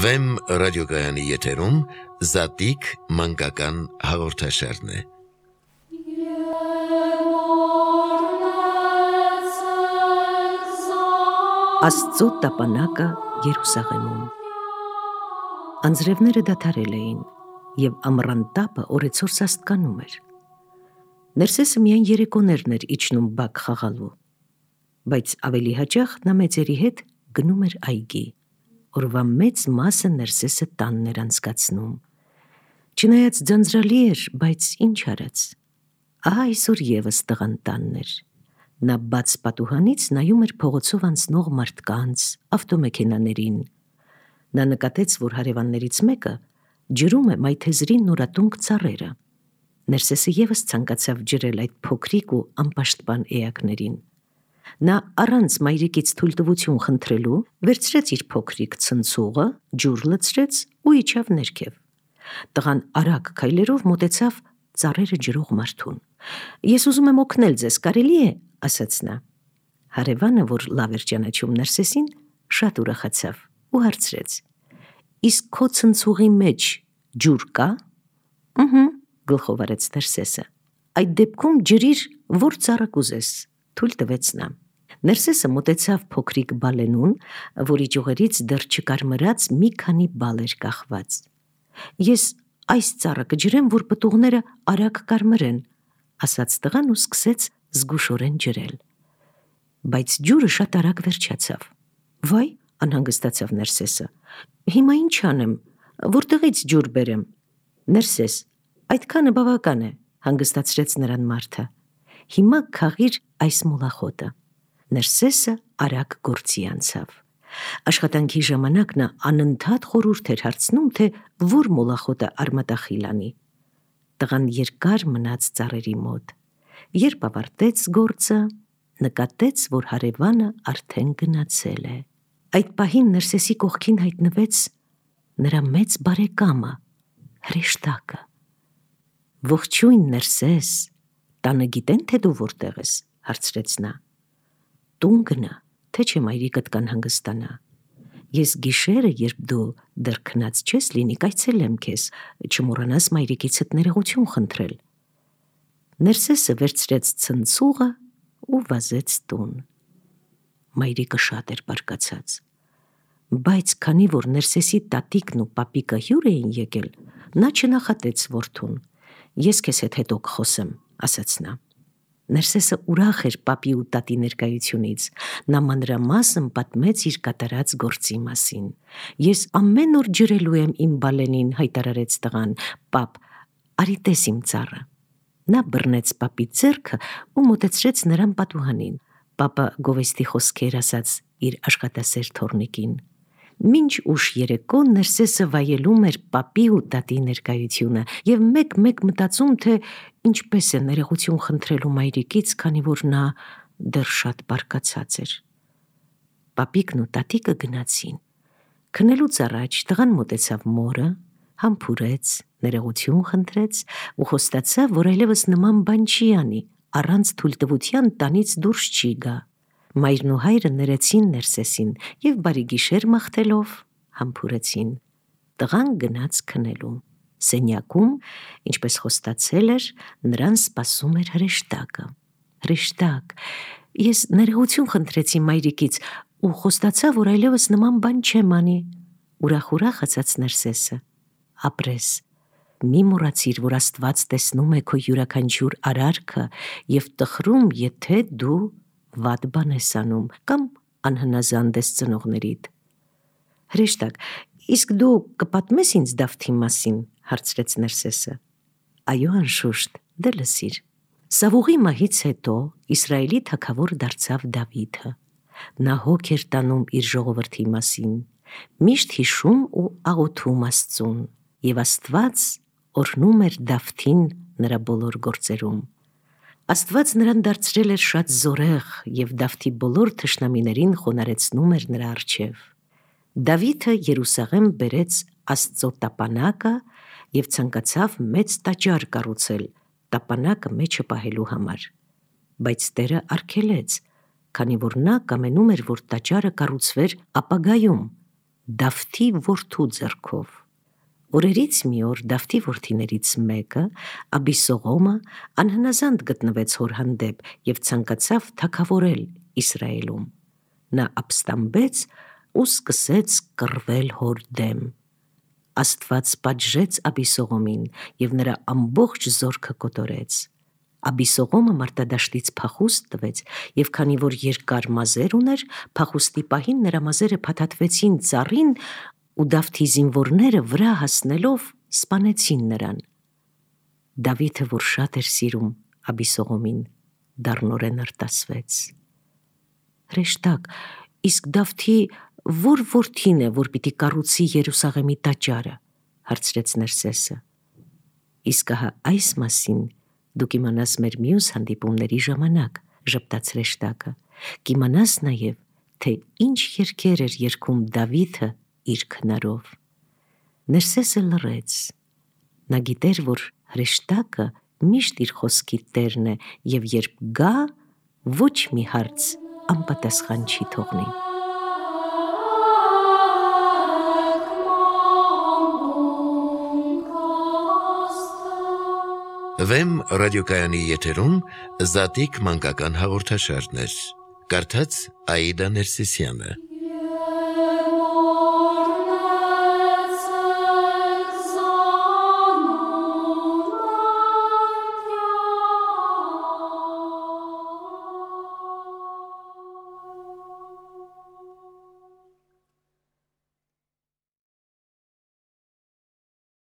Վեմ ռադիոգայանի եթերում Զատիկ մանկական հաղորդաշարն է։ Աստծո տապանակը Երուսաղեմում։ Անձրևները դադարել էին, և ամռան տապը օրեցօր սաստկանում էր։ Ներսեսը միայն երեկոներն էր իջնում բակ խաղալու, բայց ավելի հաճախ նա մեծերի հետ գնում էր այգի։ Օրվա մեծ մասը Ներսեսը տանն էր անցկացնում։ Չնայած ձանձրալի էր, բայց ինչ արած։ Ահա այսօր ևս տղան տանն էր։ Նա բաց պատուհանից նայում էր փողոցով անցնող մարդկանց, ավտոմեքենաներին։ Նա նկատեց, որ հարևաններից մեկը ջրում է մայթեզրի նորատունկ ծառերը։ Ներսեսը ևս ցանկացավ ջրել այդ փոքրիկ ու անպաշտպան էակներին։ Նա առանց մայրիկից թույլտվություն խնդրելու վերցրեց իր փոքրիկ ցնցուղը, ջուր լցրեց ու իջավ ներքև։ Տղան արագ քայլերով մոտեցավ ծառերը ջրող մարդուն։ «Ես ուզում եմ օգնել ձեզ, կարելի է», ասաց նա։ Հարևանը, որ լավ էր ճանաչում Ներսեսին, շատ ուրախացավ ու հարցրեց. «Իսկ քո ցնցուղի մեջ ջուր կա»։ «Ըհը», գլխով արեց Ներսեսը։ «Այդ դեպքում ջրիր, որ ծառը կուզես», թույլ տվեց նա։ Ներսեսը մոտեցավ փոքրիկ բալենուն, որի ճյուղերից դեռ չկարմրած մի քանի բալ էր կախված։ «Ես այս ծառը կջրեմ, որ պտուղները արագ կարմրեն», ասաց տղան ու սկսեց զգուշորեն ջրել։ Բայց ջուրը շատ արագ վերջացավ։ «Վայ», անհանգստացավ Ներսեսը, «հիմա ինչ անեմ, որտեղից ջուր բերեմ»։ «Ներսես, այդքանը բավական է», հանգստացրեց նրան մարդը։ «Հիմա քաղիր այս մոլախոտը»։ Ներսեսը արագ գործի անցավ։ Աշխատանքի ժամանակ նա անընդհատ խորհուրդ էր հարցնում, թե որ մոլախոտը արմատախիլ անի։ Տղան երկար մնաց ծառերի մոտ։ Երբ ավարտեց գործը, նկատեց, որ հարևանը արդեն գնացել է։ Այդ պահին Ներսեսի կողքին հայտնվեց նրա մեծ բարեկամը, հրեշտակը։ «Ողջույն, Ներսես, տանը գիտեն, թե դու որտեղ ես», հարցրեց նա։ «Տուն գնա, թե չէ մայրիկդ կանհանգստանա։ Ես գիշերը, երբ դու դեռ քնած չես լինի, կայցելեմ քեզ, չմոռանաս մայրիկիցդ ներողություն խնդրել»։ Ներսեսը վերցրեց ցնցուղը ու վազեց տուն։ Մայրիկը շատ էր բարկացած, բայց քանի որ Ներսեսի տատիկն ու պապիկը հյուր էին եկել, նա չնախատեց որդուն։ «Ես քեզ հետ հետո կխոսեմ», ասաց նա։ Ներսեսը ուրախ էր պապի ու տատի ներկայությունից։ Նա մանրամասն պատմեց իր կատարած գործի մասին։ «Ես ամեն օր ջրելու եմ իմ բալենին», հայտարարեց տղան։ «Պապ, արի տես իմ ծառը»։ Նա բռնեց պապի ձեռքը ու մոտեցրեց նրան պատուհանին։ Պապը գովեստի խոսքեր ասաց իր աշխատասեր թոռնիկին։ Մինչ ուշ երեկո Ներսեսը վայելում էր պապի ու տատի ներկայությունը և մեկ-մեկ մտածում, թե ինչպես է ներողություն խնդրելու մայրիկից, քանի որ նա դեռ շատ բարկացած էր։ Պապիկն ու տատիկը գնացին։ Քնելուց առաջ տղան մոտեցավ մորը, համբուրեց, ներողություն խնդրեց ու խոստացավ, որ այլևս նման բան չի անի, առանց թույլտվության տանից դուրս չի գա։ Մայրն ու հայրը ներեցին Ներսեսին և բարի գիշեր մաղթելով համբուրեցին։ Տղան գնաց քնելու։ Սենյակում, ինչպես խոստացել էր, նրան սպասում էր հրեշտակը։ «Հրեշտակ, ես ներողություն խնդրեցի մայրիկից ու խոստացա, որ այլևս նման բան չեմ անի», ուրախ ասաց Ներսեսը։ «Ապրես, մի մոռացիր, որ Աստված տեսնում է քո յուրաքանչյուր արարքը և տխրում, եթե դու վատ բան ես անում կամ անհնազանդ ես ծնողներիդ»։ «Հրեշտակ, իսկ դու կպատմես ինձ Դավթի մասին», հարցրեց Ներսեսը։ «Այո, անշուշտ, դե լսիր։ Սավուղի մահից հետո Իսրայելի թագավոր դարձավ Դավիթը։ Նա հոգ էր տանում իր ժողովրդի մասին, միշտ հիշում ու աղոթում Աստծուն, և Աստված օրհնում էր Դավթին նրա բոլոր գործերում։ Աստված նրան դարձրել էր շատ զորեղ և Դավթի բոլոր թշնամիներին խոնարհեցնում էր նրա առջև։ Դավիթը Երուսաղեմ բերեց Աստծո տապանակը և ցանկացավ մեծ տաճար կառուցել տապանակը մեջը պահելու համար։ Բայց Տերը արգելեց, քանի որ նա կամենում էր, որ տաճարը կառուցվեր ապագայում, Դավթի որդու ձեռքով։ Օրերից մի օր Դավթի որդիներից մեկը, Աբիսողոմը, անհնազանդ գտնվեց հոր հանդեպ եւ ցանկացավ թագավորել Իսրայելում։ Նա ապստամբեց ու սկսեց կռվել հոր դեմ։ Աստված պատժեց Աբիսողոմին եւ նրա ամբողջ զորքը կոտորեց։ Աբիսողոմը մարտադաշտից փախուստ տվեց եւ քանի որ երկար մազեր ուներ, փախուստի պահին նրա մազերը փաթաթվեցին ծառին ու Դավթի զինվորները վրա հասնելով սպանեցին նրան։ Դավիթը, որ շատ էր սիրում Աբիսողոմին, դառնորեն արտասվեց։ Հրեշտակ, իսկ Դավթի որ որդին է, որ պիտի կառուցի Երուսաղեմի տաճարը, հարցրեց Ներսեսը։ Իսկ ահա այս մասին դու կիմանաս մեր մյուս հանդիպումների ժամանակ, ժպտաց հրեշտակը, կիմանաս նաև, թե ինչ երգեր էր երգում Դավիթը իր քնարով։ Ներսեսը լռեց։ Նա գիտեր, որ հրեշտակը միշտ իր խոսքի տերն է եւ երբ գա, ոչ մի հարց անպատասխան չի թողնի։ Վեմ ռադիոկայանի եթերում Զատիկ մանկական հաղորդաշարներ։ Կարդաց Աիդա Ներսիսյանը։